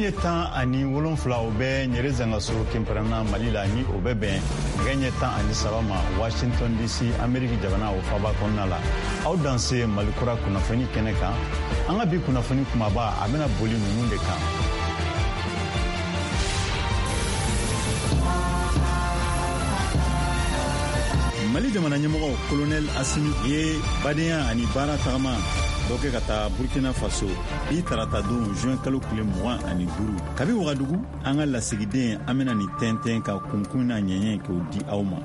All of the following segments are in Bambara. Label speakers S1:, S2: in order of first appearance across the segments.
S1: Nɛgɛ ɲɛ 17, o bɛ Ɲɛrɛ Zangaso Kɛnpɛrɛnna, Mali la, ni o bɛ bɛn nɛgɛ ɲɛ 13 ma Washington DC, Ameriki jamana o faba kɔnɔna la. Aw danse Mali kura kunnafoni kɛnɛ kan. An ka bi kunnafoni kumaba, a bɛna boli ninnu de kan. Mali jamana ɲɛmɔgɔ Kolonɛl Asimi ye badenya ani baara tagama dɔ kɛ ka taa Burkina Faso bi tarata don, juin kalo tile 25. Kabi Wagadugu, an ka lasigiden, an bɛna nin tɛntɛn ka kunkun n'a ɲɛɲɛ k'o di aw ma.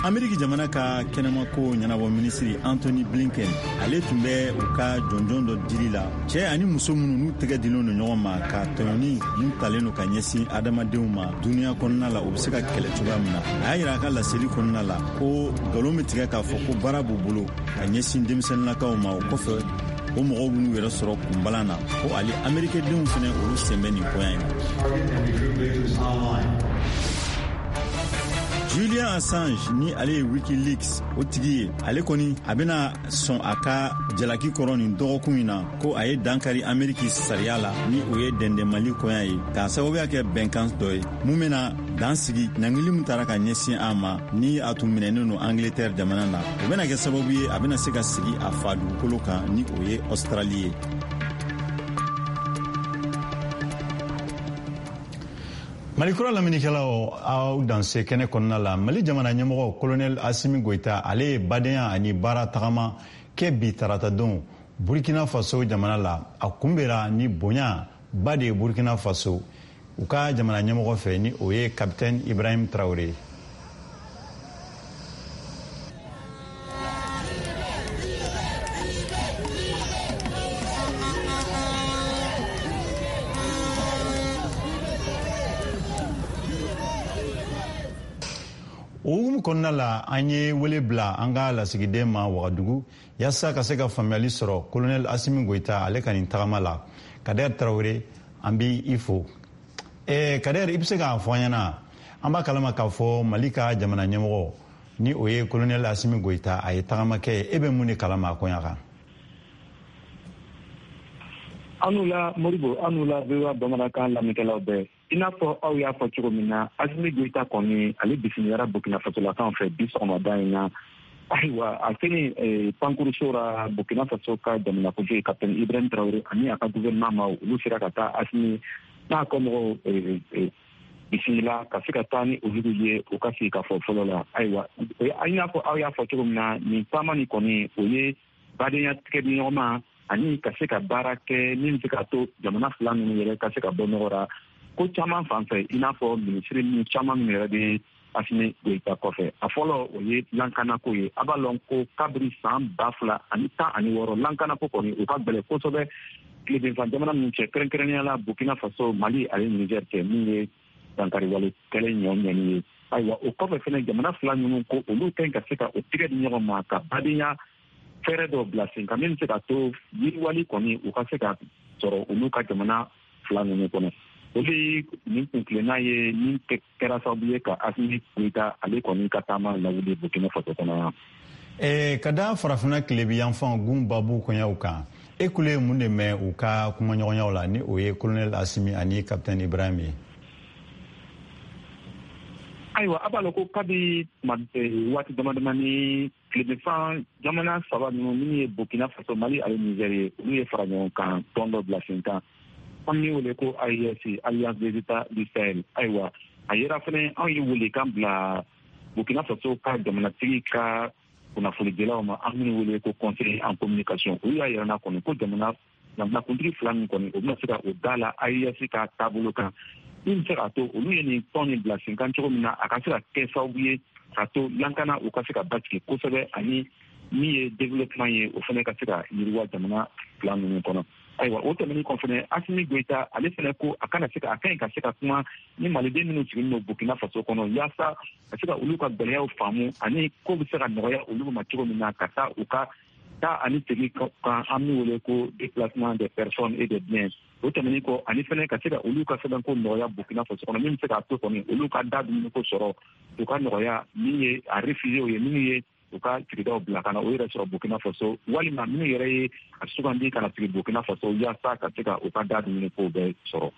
S1: Ameriki jamana ka kɛnɛmako ɲɛnabɔ minisiri Antony Blinken, ale tun bɛ u ka jɔnjɔn dɔ dili la cɛɛ ani muso minnu n'u tɛgɛ dilen don ɲɔgɔn ma ka tɔɲɔni mun talen don ka ɲɛsin adamadenw ma duniɲa kɔnɔna la, o bɛ se ka kɛlɛ cogoya min na. A y'a yira a ka laseli kɔnɔna la ko nkalon bɛ tigɛ k'a fɔ ko baara b'u bolo ka ɲɛsin denmisɛnninlakaw ma, o kɔfɛ o mɔgɔw b'u yɛrɛ sɔrɔ kunbalan na, ko ale amerikɛdenw fɛnɛ, olu sen bɛ nin koya in na. Julian Assange, ni ale ye WikiLeaks o tigi ye, ale kɔni a bɛna sɔn a ka jalaki kɔrɔ nin dɔgɔkun in na ko a ye dankari Ameriki sariya la, ni o ye dɛndɛnmali koya ye, k'a sababuya kɛ bɛnkan dɔ ye mun bɛna dan sigi ɲangili min tara ka ɲɛsin a ma, ni a tun minɛnen don Angleterre jamana na. O bɛna kɛ sababu ye a bɛna se ka sigi a fa dugukolo kan, ni o ye Australie ye. Mali kura lamɛnnikɛlaw, aw danse kɛnɛ kɔnɔna la. Mali jamana ɲɛmɔgɔ Kolonɛl Asimi Goyita, ale ye badenya ani baara tagama kɛ bi taratadon Burkina Faso jamana la. A kunbɛra ni bonya ba de ye Burkina Faso u ka jamana ɲɛmɔgɔ fɛ, ni o ye Kapitɛni Ibrahim Traore ye. O hukumu kɔnɔna la, an ye wele bila an ka lasigiden ma Wagadugu yaasa ka se ka faamuyali sɔrɔ Kolonɛl Asimi Goyita ale ka nin tagama la. Kader Tarawele, an b'i i fo. Kader, i bɛ se k'a fɔ an ɲɛna, an b'a kalama k'a fɔ Mali ka jamana ɲɛmɔgɔ, ni o ye Kolonɛl Asimi Goyita, a ye tagama kɛ, e bɛ mun de kalama a koɲa kan?
S2: Aw ni wula Moribo, aw ni wula VOA bamanankan lamɛnnikɛlaw bɛɛ. I n'a fɔ aw y'a fɔ cogo min na, Asimi Goyita kɔni, ale bisimilara Burkina Fasolakaw fɛ bi sɔgɔmada in na. Ayiwa, a selen pankuruso ra, Burkina Faso ka jamanakuntigi Kapitɛni Ibrahim Traoré ani a ka gouvernement ma, olu sera ka taa Asimi n'a kɔmɔgɔw bisimila ka se ka taa ni olu ye u ka sigi ka fɔ fɔlɔ la. Ayiwa, i n'a fɔ aw y'a fɔ cogo min na, nin taama nin kɔni, o ye badenya tigɛdiɲɔgɔnma ani ka se ka baara kɛ min bɛ se ka to jamana fila ninnu yɛrɛ ka se ka bɔ nɔgɔ ra ko caman fan fɛ, i n'a fɔ minisiri ninnu caman minnu yɛrɛ bɛ Asimi Goyita kɔfɛ. A fɔlɔ, o ye lankanako ye. A b'a lɔn ko kabiri san 2016, lankanako kɔni, o ka gɛlɛn kosɛbɛ tilebinfan jamana ninnu cɛ, kɛrɛnkɛrɛnnenya la Burkina Faso, Mali ani Niger cɛ, min ye dankariwale kɛlɛ ɲɔ ɲɛni ye. Ayiwa, o kɔfɛ fɛnɛ, jamana fila ninnu ko olu ka ɲi ka se ka o tigɛ di ɲɔgɔn ma ka badenya fɛɛrɛ dɔw bila sen kan min bɛ se ka to yiriwali kɔni, u ka se ka sɔrɔ olu ka jamana fila ninnu kɔnɔ. O de ye nin kuntilenna ye min kɛra sababu ye ka Asimi Goyita ale kɔni ka taama lawuli Burkina Faso kɔnɔ yan.
S1: Ka da Farafinna tilebi yanfan gun babu koɲaw kan, e kulo ye mun de mɛn u ka kumaɲɔgɔnyaw la, ni o ye Colonel Asimi ani Capitaine Ibrahim ye?
S2: Ayiwa, a b'a lɔn ko kabi waati dama damani, tilebinfan jamana saba ninnu, minnu ye Burkina Faso, Mali ani Niger ye, olu ye fara ɲɔgɔn kan tɔn dɔ bila sen kan, an min wele ko AES, Alliance des États du Sahel. Ayiwa, a yera fɛnɛ, anw ye welekan bila Burkina Faso ka jamanatigi ka kunnafonidilaw ma, an minnu wele ko conseiller en communication. Olu y'a yira na kɔni ko jamanakuntigi fila min kɔni, o bɛna se ka o da la AES ka taabolo kan min bɛ se k'a to olu ye nin tɔn nin bila sen kan cogo min na, a ka se ka kɛ sababu ye k'a to lankana, o ka se ka basigi kosɛbɛ, ani min ye développement ye, o fana ka se ka yiriwa jamana fila ninnu kɔnɔ. Ayiwa, o tɛmɛnen kɔ fɛnɛ, Asimi Goyita ale fɛnɛ ko a kana se ka a ka ɲi ka se ka kuma ni maliden minnu sigilen don Burkina Faso kɔnɔ, yaasa ka se ka olu ka gɛlɛyaw faamu ani ko bɛ se ka nɔgɔya olu ma cogo min na, ka taa u ka taa ani segin kan, an min wele ko déplacement des personnes et des biens. O tɛmɛnen kɔ, ani fɛnɛ ka se ka olu ka sɛbɛnko nɔgɔya Burkina Faso kɔnɔ, min bɛ se k'a to kɔni olu ka da dumuniko sɔrɔ, u ka nɔgɔya, min ye a réfugiés ye, minnu ye U ka sigidaw bila ka na o yɛrɛ sɔrɔ Burkina Faso, walima minnu yɛrɛ ye a sugandi ka na sigi Burkina Faso yaasa ka se ka u ka da dumuni kow bɛɛ sɔrɔ.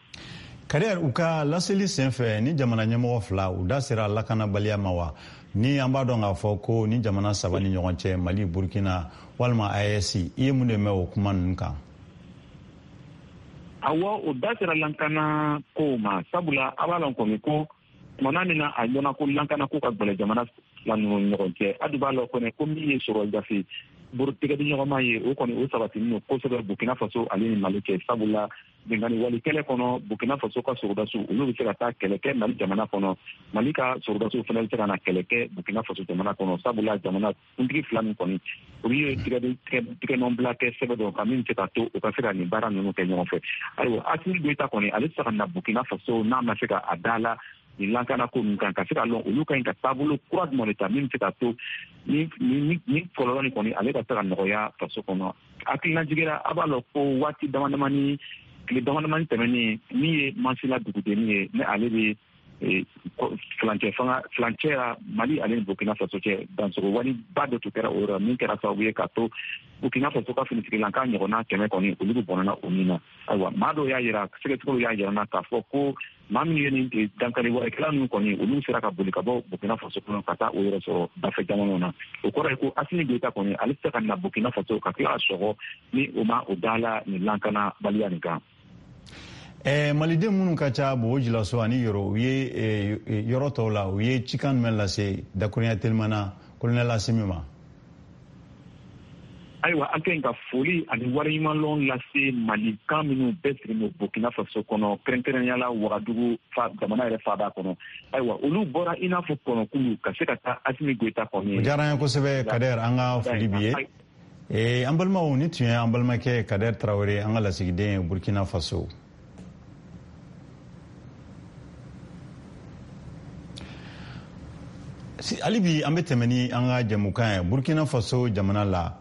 S1: Kader, u ka laseli senfɛ ni jamana ɲɛmɔgɔ fila, u da sera lakanabaliya ma wa? Ni an b'a dɔn k'a fɔ ko ni jamana saba ni ɲɔgɔn cɛ, Mali, Burkina walima AES, i ye mun de mɛn o kuma ninnu kan?
S2: Awɔ, o da sera lankana kow ma, sabula a b'a lɔn kɔni ko tumana min na a ɲɔna ko lankana ko ka gwɛlɛ jamana fila ninnu ni ɲɔgɔn cɛ, a dun b'a lɔn kɔni ko min ye sɔrɔ gafe tigɛdiɲɔgɔnma ye, o kɔni o sabatinin don kosɛbɛ Burkina Faso ale ni Mali cɛ, sabula binkanni wale kɛlɛ kɔnɔ, Burkina Faso ka sɔrɔdasiw, olu bɛ se ka taa kɛlɛ kɛ Mali jamana kɔnɔ, Mali ka sɔrɔdasiw fana bɛ se ka na kɛlɛ kɛ Burkina Faso jamana kɔnɔ, sabula jamana kuntigi fila min kɔni, olu ye tigɛnɔbila kɛ sɛbɛn dɔ kan min bɛ se ka to u ka se ka nin baara ninnu kɛ ɲɔgɔn fɛ. Ayiwa, Asimi Goyita kɔni, ale tɛ se ka na Burkina Faso n'a ma se ka a da la nin lankana ko ninnu kan, ka se ka lɔn olu ka ɲi ka taabolo kura jumɛn de ta min bɛ se ka to ni kɔlɔlɔ nin kɔni ale ka se ka nɔgɔya faso kɔnɔ. Hakilina jiginna, a b'a lɔn ko waati dama damani, tile dama damani tɛmɛnen, min ye Masina dugudennin ye, ni ale bɛ furancɛ fanga furancɛ la Mali ale ni Burkina Faso cɛ, dansogo waliba dɔ tun kɛra o yɔrɔ min kɛra sababu ye ka to Burkina Faso ka finitigilanka ɲɔgɔnna 100 kɔni, olu bɛ bɔnɛna o min na. Ayiwa, maa dɔw y'a yira, sɛgɛsɛgɛliw y'a yira na k'a fɔ ko maa minnu ye nin dankari walekɛla ninnu kɔni, olu sera ka boli ka bɔ Burkina Faso kɔnɔ ka taa o yɛrɛ sɔrɔ dafɛ jamanaw na. O kɔrɔ ye ko Asimi Goyita kɔni, ale tɛ se ka na Burkina Faso ka tila ka sɔgɔ ni o ma o da la nin lakanabaliya nin kan.
S1: Maliden minnu ka ca Bobo Julaso ani Yoro, u ye yɔrɔ tɔw la, u ye cikan jumɛn lase dakurunya telimana colonel Asimi ma?
S2: Ayiwa, an ka ɲi ka foli ani waleɲumanlɔn lase Malikan minnu bɛɛ sigilen don Burkina Faso kɔnɔ, kɛrɛnkɛrɛnnenya la Wagadugu jamana yɛrɛ faaba kɔnɔ. Ayiwa, olu bɔra i n'a fɔ kɔnɔkulu ka se ka taa Asimi Goyita kɔni.
S1: O diyara an ye kosɛbɛ, Kader, an ka foli b'i ye. An balimaw, ni tun ye an balimakɛ Kader Tarawele, an ka lasigiden ye Burkina Faso. Hali bi an bɛ tɛmɛ ni an ka jɛmukan ye. Burkina Faso jamana la,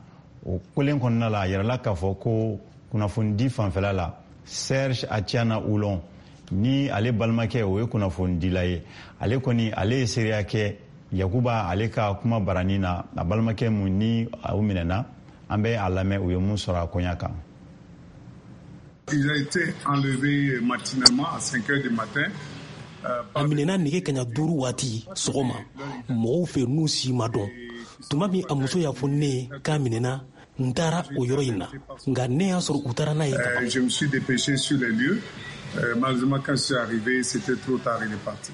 S1: o kolen kɔnɔna la, a yirala k'a fɔ ko kunnafonidi fanfɛla la, Serge Atiana Oulon, ni ale balimakɛ o ye kunnafonidila ye, ale kɔni ale ye seereya kɛ Yakuba ale ka kuma barani na, a balimakɛ mun ni o minɛna. An bɛ a lamɛn u ye mun sɔrɔ a koɲa kan.
S3: Il a été enlevé matinalement à 5 heures du matin.
S4: A minɛna nɛgɛ kaɲa 5 waati sɔgɔma mɔgɔw fɛ n'u si ma dɔn. Tuma min a muso y'a fɔ ne ye k'a minɛna, n taara o yɔrɔ in na, nka ne y'a sɔrɔ u taara n'a ye ka ban.
S3: Je me suis dépêché sur les lieux. Malheureusement, quand je suis arrivé, c'était trop tard, il est parti.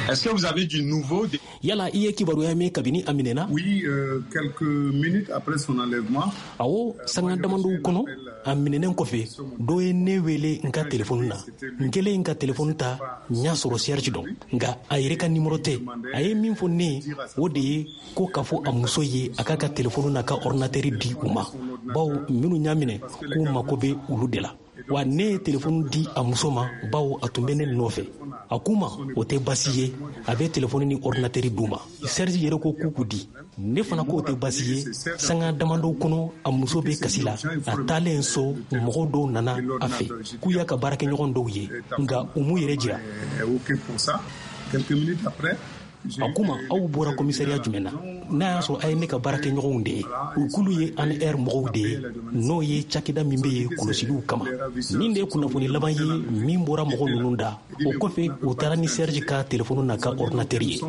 S5: Est-ce que vous avez du nouveau?
S4: Yala i ye kibaruya mɛn kabini a minɛna?
S3: Oui, quelques minutes après son enlèvement.
S4: Awɔ, sanga damadɔw kɔnɔ a minɛnen kɔfɛ, dɔ ye ne wele n ka telefɔni na. N kɛlen ka telefɔni ta, n y'a sɔrɔ Serge don, nka a yɛrɛ ka nimɔrɔ tɛ. A ye min fɔ ne ye, o de ye ko k'a fɔ a muso ye a k'a ka telefɔni n'a ka ordinateur di u ma, bawo minnu y'a minɛ k'u mako bɛ olu de la. Wa ne ye telefɔni di a muso ma, bawo a tun bɛ ne nɔfɛ. A k'u ma o tɛ baasi ye, a bɛ telefɔni ni ordinateur d'u ma. Serge yɛrɛ ko k'u k'u di, ne fana k'o tɛ baasi ye. Sanga damadɔw kɔnɔ a muso bɛ kasi la. A taalen so, mɔgɔw dɔw nana a fɛ k'u y'a ka baarakɛɲɔgɔn dɔw ye, nka u m'u yɛrɛ jira. A k'u ma aw bɔra komisariya jumɛn na? N'a y'a sɔrɔ a ye ne ka baarakɛɲɔgɔnw de ye, u k'olu ye ANR mɔgɔw de ye, n'o ye cakɛda min bɛ yen kɔlɔsiliw kama. Nin de ye kunnafoni laban ye min bɔra mɔgɔ ninnu da. O kɔfɛ, u taara ni Serge ka telefɔni n'a ka ordinateur ye.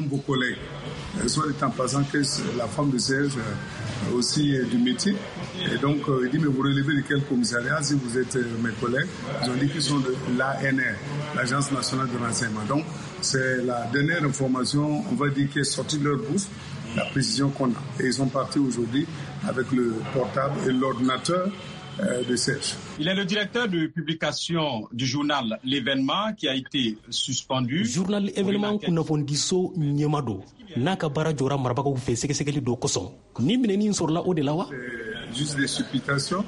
S3: Soit dit en passant que la femme de Serge aussi est du métier. Et donc, il dit, mais vous relevez de quel commissariat si vous êtes mes collègues? Ils ont dit qu'ils sont de l'ANR, l'Agence nationale de renseignement. Donc, c'est la dernière information, on va dire, qui est sortie de leur bouche, la précision qu'on a. Et ils sont partis aujourd'hui avec le portable et l'ordinateur de Serge.
S5: Il est le directeur de publication du journal L'événement qui a été suspendu.
S4: Journal Événement kunnafonidiso ɲɛma don, n'a ka baara jɔra marabagaw fɛ sɛgɛsɛgɛli dɔ kosɔn. Ni minɛni sɔrɔla o de la wa?
S3: Juste des supputations.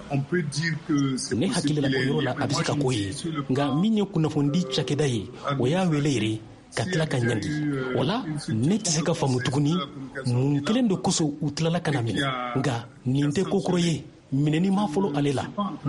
S3: On peut dire que c'est
S4: ne hakili la o yɔrɔ la a bɛ se ka k'o ye, nka min ye kunnafonidi cakɛda ye, o y'a wele yɛrɛ ka tila ka ɲangi. O la ne tɛ se ka faamu tuguni mun kelen de kosɔn u tilala ka na minɛ, nka nin tɛ ko kɔrɔ ye, minɛni ma fɔlɔ ale la.